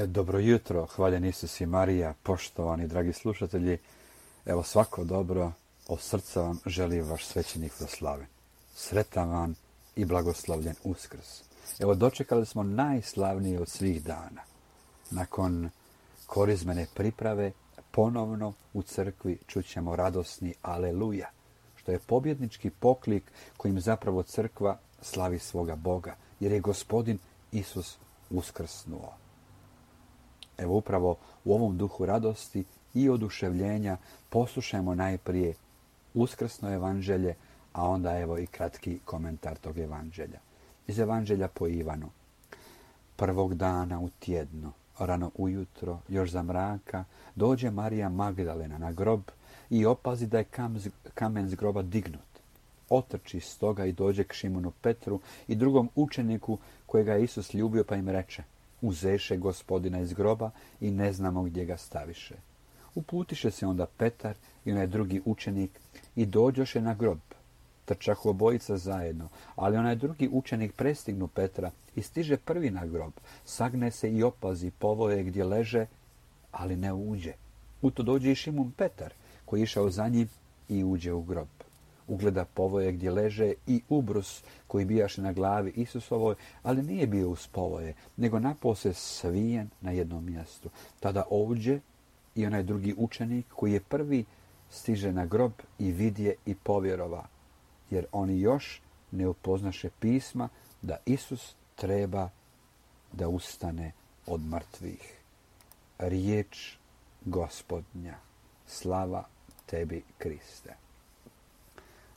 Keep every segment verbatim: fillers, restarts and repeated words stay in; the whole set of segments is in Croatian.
Dobro jutro, hvaljen Isus i Marija, poštovani dragi slušatelji. Evo svako dobro od srca vam želi vaš svećenik Slaven. Sretan vam i blagoslovljen Uskrs. Evo dočekali smo najslavnije od svih dana. Nakon korizmene priprave ponovno u crkvi čućemo radosni aleluja, što je pobjednički poklik kojim zapravo crkva slavi svoga Boga, jer je Gospodin Isus uskrsnuo. Evo upravo u ovom duhu radosti i oduševljenja poslušajmo najprije uskrsno evanđelje, a onda evo i kratki komentar tog evanđelja. Iz evanđelja po Ivanu. Prvog dana u tjednu, rano ujutro, još za mraka, dođe Marija Magdalena na grob i opazi da je kamen s groba dignut. Otrči stoga i dođe k Šimunu Petru i drugom učeniku kojega je Isus ljubio, pa im reče: uzeše Gospodina iz groba i ne znamo gdje ga staviše. Uputiše se onda Petar i onaj drugi učenik i dođoše na grob. Trčahu obojica zajedno, ali onaj drugi učenik prestignu Petra i stiže prvi na grob, sagne se i opazi povoje gdje leže, ali ne uđe. U to dođe i Šimun Petar, koji je išao za njim i uđe u grob. Ugleda povoje gdje leže i ubrus koji bijaše na glavi Isusovoj, ali nije bio uz povoje, nego napose svijen na jednom mjestu. Tada ovdje i onaj drugi učenik koji je prvi stiže na grob i vidje i povjerova, jer oni još ne upoznaše pisma da Isus treba da ustane od mrtvih. Riječ Gospodnja. Slava tebi, Kriste.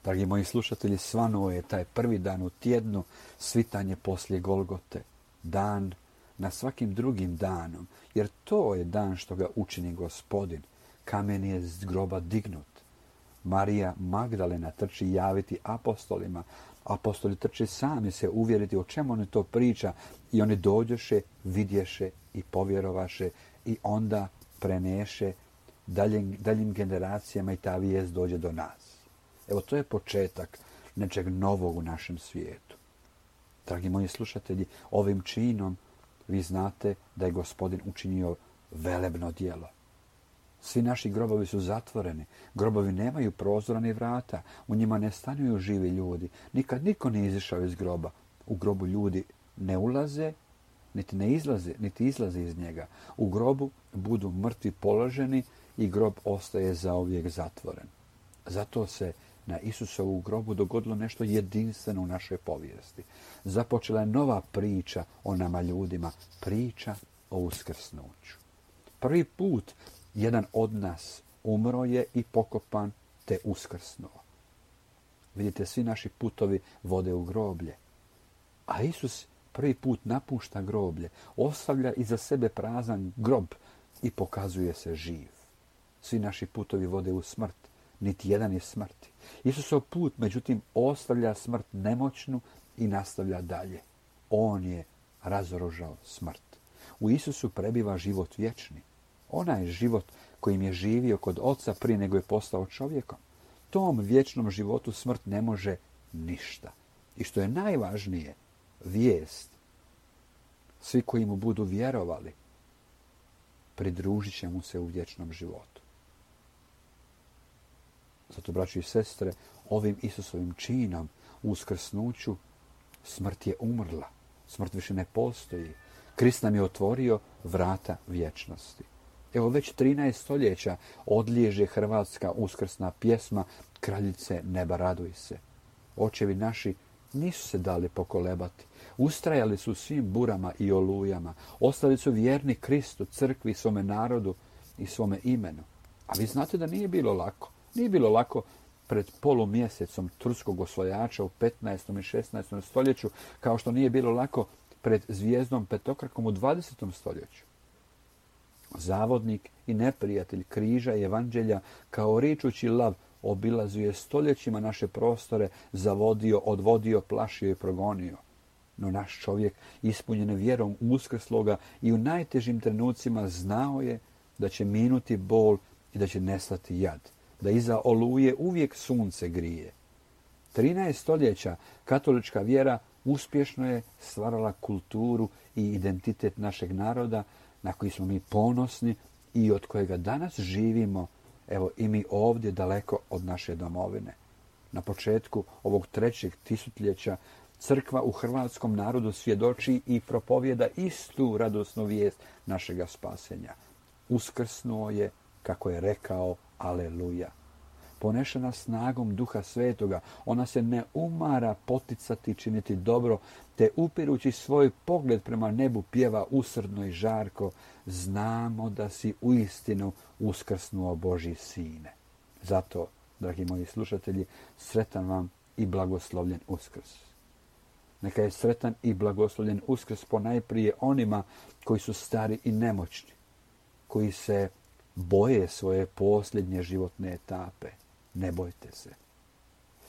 Dragi moji slušatelji, svanuo je taj prvi dan u tjednu, svitanje poslije Golgote, dan na svakim drugim danom, jer to je dan što ga učini Gospodin. Kamen je z groba dignut. Marija Magdalena trči javiti apostolima. Apostoli trče sami se uvjeriti o čemu oni to priča i oni dođoše, vidješe i povjerovaše i onda preneše daljim, daljim generacijama i ta vijest dođe do nas. Evo, to je početak nečeg novog u našem svijetu. Dragi moji slušatelji, ovim činom vi znate da je Gospodin učinio velebno djelo. Svi naši grobovi su zatvoreni. Grobovi nemaju prozora ni vrata. U njima ne stanuju živi ljudi. Nikad niko nije izišao iz groba. U grobu ljudi ne ulaze, niti ne izlaze, niti izlaze iz njega. U grobu budu mrtvi položeni i grob ostaje zauvijek zatvoren. Zato se na Isusovu grobu dogodilo nešto jedinstveno u našoj povijesti. Započela je nova priča o nama ljudima, priča o uskrsnuću. Prvi put jedan od nas umro je i pokopan te uskrsnuo. Vidite, svi naši putovi vode u groblje. A Isus prvi put napušta groblje, ostavlja iza sebe prazan grob i pokazuje se živ. Svi naši putovi vode u smrt, niti jedan je smrti. Isusov put, međutim, ostavlja smrt nemoćnu i nastavlja dalje. On je razoružao smrt. U Isusu prebiva život vječni. Onaj život kojim je živio kod Oca prije nego je postao čovjekom. Tom vječnom životu smrt ne može ništa. I što je najvažnije, vijest. Svi koji mu budu vjerovali, pridružit će mu se u vječnom životu. Zato, braći i sestre, ovim Isusovim činom u uskrsnuću smrt je umrla. Smrt više ne postoji. Krist nam je otvorio vrata vječnosti. Evo, već trinaest stoljeća odliježe hrvatska uskrsna pjesma Kraljice neba raduj se. Očevi naši nisu se dali pokolebati. Ustrajali su svim burama i olujama. Ostali su vjerni Kristu, crkvi, svome narodu i svome imenu. A vi znate da nije bilo lako. Nije bilo lako pred polumjesecom turskog osvajača u petnaestom i šesnaestom stoljeću, kao što nije bilo lako pred zvijezdom petokrakom u dvadesetom stoljeću. Zavodnik i neprijatelj križa i evanđelja kao ričući lav obilazio stoljećima naše prostore, zavodio, odvodio, plašio i progonio. No naš čovjek, ispunjen vjerom uskrsloga i u najtežim trenucima, znao je da će minuti bol i da će nestati jad, da iza oluje uvijek sunce grije. trinaest stoljeća katolička vjera uspješno je stvarala kulturu i identitet našeg naroda na koji smo mi ponosni i od kojega danas živimo, evo i mi ovdje daleko od naše domovine. Na početku ovog trećeg tisućljeća crkva u hrvatskom narodu svjedoči i propovjeda istu radosnu vijest našega spasenja. Uskrsnuo je, kako je rekao, aleluja. Ponešena snagom Duha Svetoga, ona se ne umara poticati činiti dobro, te upirući svoj pogled prema nebu pjeva usrdno i žarko, znamo da si uistinu uskrsnuo Božji sine. Zato, dragi moji slušatelji, sretan vam i blagoslovljen Uskrs. Neka je sretan i blagoslovljen Uskrs ponajprije onima koji su stari i nemoćni, koji se boje svoje posljednje životne etape. Ne bojte se.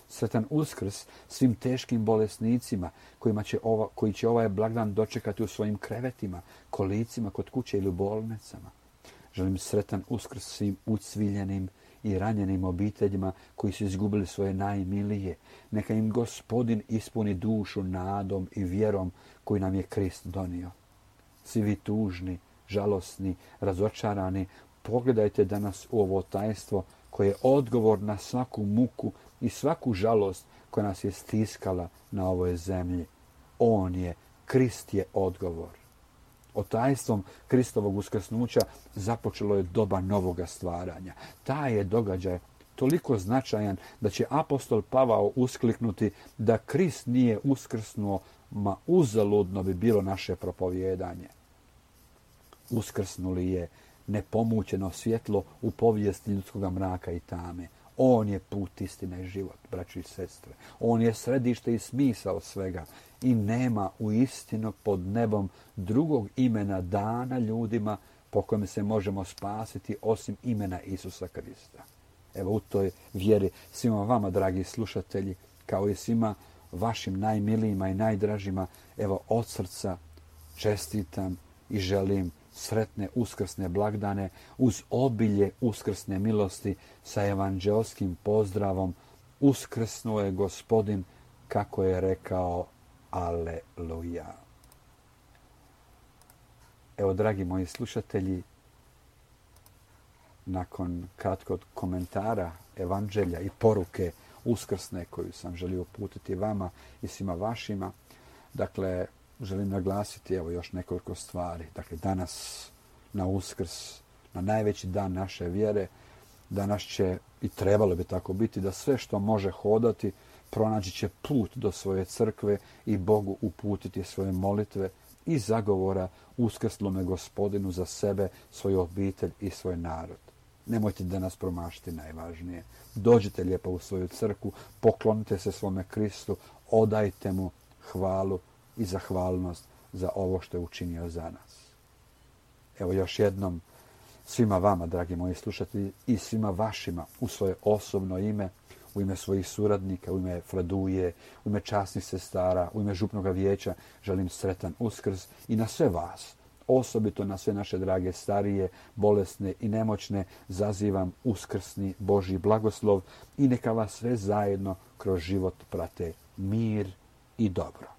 Sretan Uskrs svim teškim bolesnicima kojima će ova, koji će ovaj blagdan dočekati u svojim krevetima, kolicima, kod kuće ili u bolnicama. Želim sretan Uskrs svim ucviljenim i ranjenim obiteljima koji su izgubili svoje najmilije. Neka im Gospodin ispuni dušu nadom i vjerom koju nam je Krist donio. Svi vi tužni, žalosni, razočarani, pogledajte danas u ovo tajstvo koje je odgovor na svaku muku i svaku žalost koja nas je stiskala na ovoj zemlji. On je, Krist je odgovor. O tajstvom Kristovog uskrsnuća započelo je doba novoga stvaranja. Taj je događaj toliko značajan da će apostol Pavao uskliknuti da Krist nije uskrsnuo, ma uzaludno bi bilo naše propovijedanje. Uskrsnuli je nepomućeno svjetlo u povijesti ljudskog mraka i tame. On je put, istina i život, braći i sestre. On je središte i smisao svega i nema u istinu pod nebom drugog imena dana ljudima po kojem se možemo spasiti osim imena Isusa Krista. Evo u toj vjeri svima vama, dragi slušatelji, kao i svima vašim najmilijima i najdražima, evo od srca čestitam i želim sretne uskrsne blagdane uz obilje uskrsne milosti sa evanđelskim pozdravom Uskrsnuo je Gospodin, kako je rekao, aleluja. Evo, dragi moji slušatelji, nakon kratkog komentara evanđelja i poruke uskrsne koju sam želio uputiti vama i svima vašima, dakle, želim naglasiti evo još nekoliko stvari. Dakle, danas na Uskrs, na najveći dan naše vjere, danas će, i trebalo bi tako biti, da sve što može hodati, pronaći će put do svoje crkve i Bogu uputiti svoje molitve i zagovora uskrslome Gospodinu za sebe, svoju obitelj i svoj narod. Nemojte danas promašiti najvažnije. Dođite lijepo u svoju crkvu, poklonite se svome Kristu, odajte mu hvalu i zahvalnost za ovo što je učinio za nas. Evo još jednom svima vama, dragi moji slušatelji, i svima vašima u svoje osobno ime, u ime svojih suradnika, u ime Fraduje, u ime časnih sestara, u ime župnog vijeća, želim sretan Uskrs i na sve vas, osobito na sve naše drage starije, bolesne i nemoćne, zazivam uskrsni Božji blagoslov i neka vas sve zajedno kroz život prate mir i dobro.